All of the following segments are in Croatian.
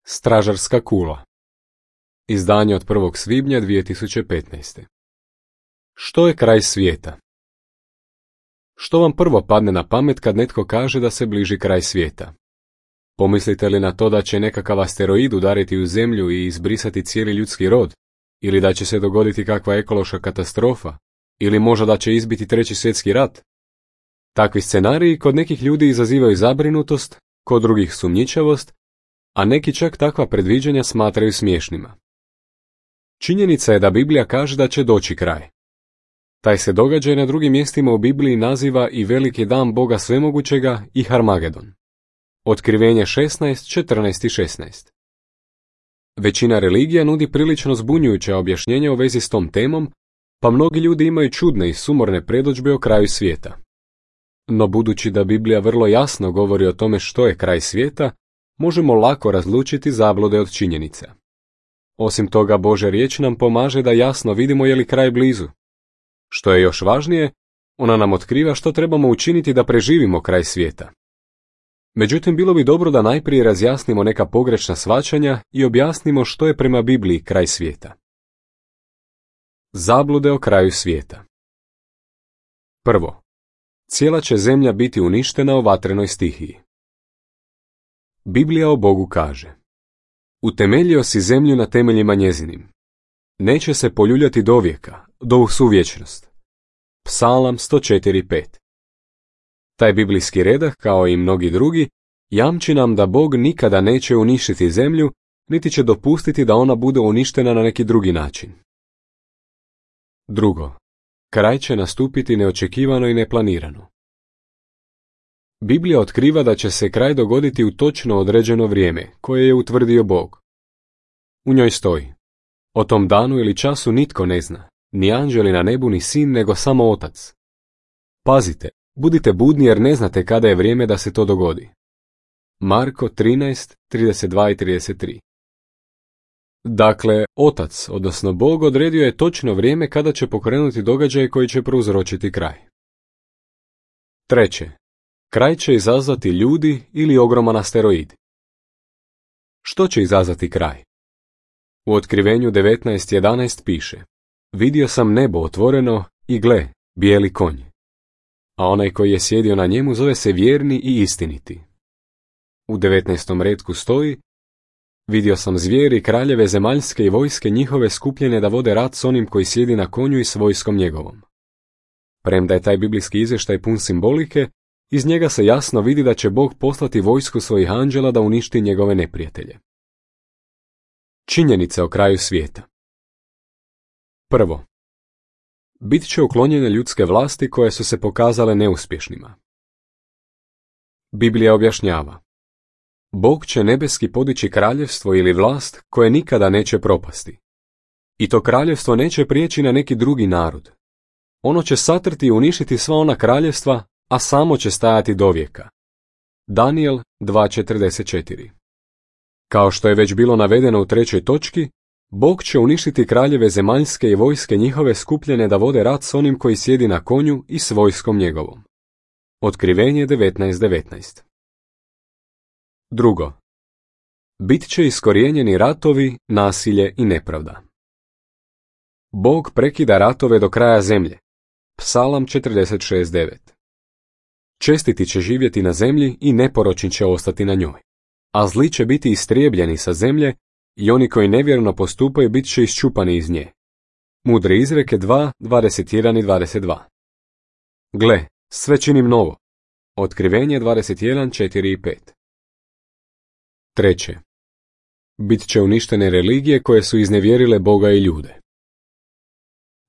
Stražarska kula. Izdanje od 1. svibnja 2015. Što je kraj svijeta? Što vam prvo padne na pamet kad netko kaže da se bliži kraj svijeta? Pomislite li na to da će nekakav asteroid udariti u zemlju i izbrisati cijeli ljudski rod? Ili da će se dogoditi kakva ekološka katastrofa? Ili možda da će izbiti treći svjetski rat? Takvi scenariji kod nekih ljudi izazivaju zabrinutost, kod drugih sumnjičavost, a neki čak takva predviđanja smatraju smiješnima. Činjenica je da Biblija kaže da će doći kraj. Taj se događaj na drugim mjestima u Bibliji naziva i veliki dan Boga svemogućega i Harmagedon. Otkrivenje 16, 14 i 16. Većina religija nudi prilično zbunjujuća objašnjenja u vezi s tom temom, pa mnogi ljudi imaju čudne i sumorne predodžbe o kraju svijeta. No budući da Biblija vrlo jasno govori o tome što je kraj svijeta, možemo lako razlučiti zablude od činjenica. Osim toga, Božja riječ nam pomaže da jasno vidimo je li kraj blizu. Što je još važnije, ona nam otkriva što trebamo učiniti da preživimo kraj svijeta. Međutim, bilo bi dobro da najprije razjasnimo neka pogrešna shvaćanja i objasnimo što je prema Bibliji kraj svijeta. Zablude o kraju svijeta. Prvo, cijela će zemlja biti uništena u vatrenoj stihiji. Biblija o Bogu kaže: utemeljio si zemlju na temeljima njezinim. Neće se poljuljati do vijeka, do u suvječnost. Psalam 104.5. Taj biblijski redak, kao i mnogi drugi, jamči nam da Bog nikada neće uništiti zemlju, niti će dopustiti da ona bude uništena na neki drugi način. Drugo, kraj će nastupiti neočekivano i neplanirano. Biblija otkriva da će se kraj dogoditi u točno određeno vrijeme, koje je utvrdio Bog. U njoj stoji: o tom danu ili času nitko ne zna, ni anđeli na nebu ni sin, nego samo Otac. Pazite, budite budni jer ne znate kada je vrijeme da se to dogodi. Marko 13, 32 i 33. Dakle, Otac, odnosno Bog, odredio je točno vrijeme kada će pokrenuti događaj koji će prouzročiti kraj. Treće, kraj će izazvati ljudi ili ogroman asteroid. Što će izazvati kraj? U Otkrivenju 19.11 piše: vidio sam nebo otvoreno i gle, bijeli konj. A onaj koji je sjedio na njemu zove se vjerni i istiniti. U 19. retku stoji: vidio sam zvijeri, kraljeve zemaljske i vojske njihove skupljene da vode rat s onim koji sjedi na konju i s vojskom njegovom. Premda je taj biblijski izvještaj pun simbolike, iz njega se jasno vidi da će Bog poslati vojsku svojih anđela da uništi njegove neprijatelje. Činjenice o kraju svijeta. Prvo, bit će uklonjene ljudske vlasti koje su se pokazale neuspješnima. Biblija objašnjava: Bog će nebeski podići kraljevstvo ili vlast koje nikada neće propasti. I to kraljevstvo neće prijeći na neki drugi narod. Ono će satrti i uništiti sva ona kraljevstva, a samo će stajati dovijeka. Daniel 2.44. Kao što je već bilo navedeno u 3. točki, Bog će uništiti kraljeve zemaljske i vojske njihove skupljene da vode rat s onim koji sjedi na konju i s vojskom njegovom. Otkrivenje 19.19. Drugo, bit će iskorijenjeni ratovi, nasilje i nepravda. Bog prekida ratove do kraja zemlje. Psalam 46.9. Čestiti će živjeti na zemlji i neporočni će ostati na njoj, a zli će biti istrijebljeni sa zemlje i oni koji nevjerno postupaju bit će iščupani iz nje. Mudre izreke 2, 21 i 22. Gle, sve činim novo. Otkrivenje 21, 4 i 5. Treće, bit će uništene religije koje su iznevjerile Boga i ljude.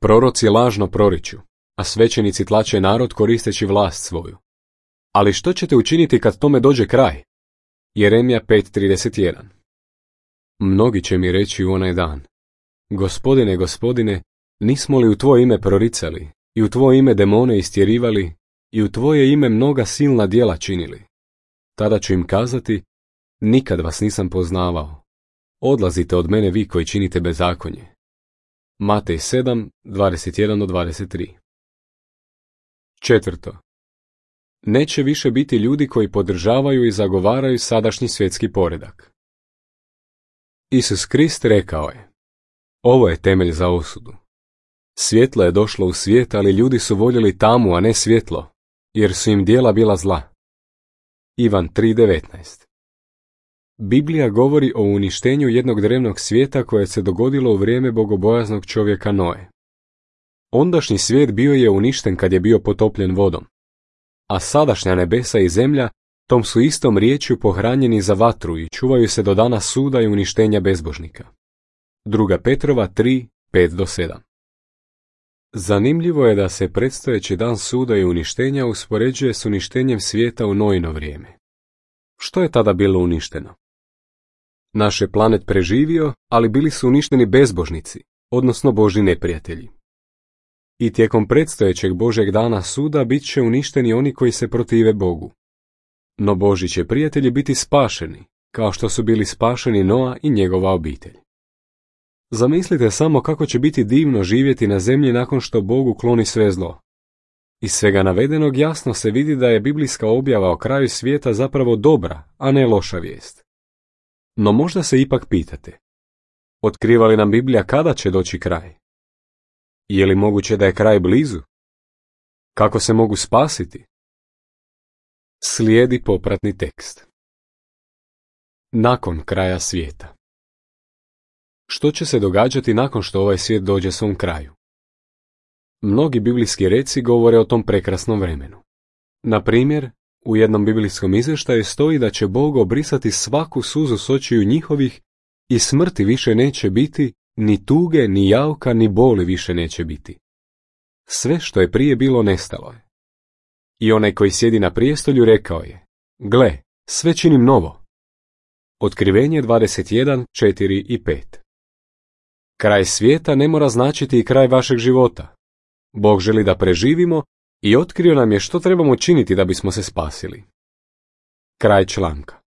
Proroci lažno proriču, a svećenici tlače narod koristeći vlast svoju. Ali što ćete učiniti kad tome dođe kraj? Jeremija 5.31. Mnogi će mi reći u onaj dan: Gospodine, Gospodine, nismo li u tvoje ime proricali, i u tvoje ime demone istjerivali, i u tvoje ime mnoga silna djela činili? Tada ću im kazati: nikad vas nisam poznavao. Odlazite od mene vi koji činite bezakonje. Matej 7, 21-23. Četvrto, neće više biti ljudi koji podržavaju i zagovaraju sadašnji svjetski poredak. Isus Krist rekao je: ovo je temelj za osudu. Svjetlo je došlo u svijet, ali ljudi su voljeli tamu, a ne svjetlo, jer su im djela bila zla. Ivan 3:19. Biblija govori o uništenju jednog drevnog svijeta koje se dogodilo u vrijeme bogobojaznog čovjeka Noe. Ondašnji svijet bio je uništen kad je bio potopljen vodom, a sadašnja nebesa i zemlja tom su istom riječju pohranjeni za vatru i čuvaju se do dana suda i uništenja bezbožnika. 2. Petrova 3:5-7. Zanimljivo je da se predstojeći dan suda i uništenja uspoređuje s uništenjem svijeta u Noino vrijeme. Što je tada bilo uništeno? Naš je planet preživio, ali bili su uništeni bezbožnici, odnosno Božji neprijatelji. I tijekom predstojećeg Božjeg dana suda bit će uništeni oni koji se protive Bogu. No Božji će prijatelji biti spašeni, kao što su bili spašeni Noa i njegova obitelj. Zamislite samo kako će biti divno živjeti na zemlji nakon što Bog ukloni sve zlo. Iz svega navedenog jasno se vidi da je biblijska objava o kraju svijeta zapravo dobra, a ne loša vijest. No možda se ipak pitate, otkriva li nam Biblija kada će doći kraj? Je li moguće da je kraj blizu? Kako se mogu spasiti? Slijedi popratni tekst. Nakon kraja svijeta. Što će se događati nakon što ovaj svijet dođe svom kraju? Mnogi biblijski reci govore o tom prekrasnom vremenu. Na primjer, u jednom biblijskom izvještaju stoji da će Bog obrisati svaku suzu s očiju njihovih i smrti više neće biti, ni tuge, ni jauka, ni boli više neće biti. Sve što je prije bilo nestalo je. I onaj koji sjedi na prijestolju rekao je: gle, sve činim novo. Otkrivenje 21:4 i 5. Kraj svijeta ne mora značiti i kraj vašeg života. Bog želi da preživimo i otkrio nam je što trebamo činiti da bismo se spasili. Kraj članka.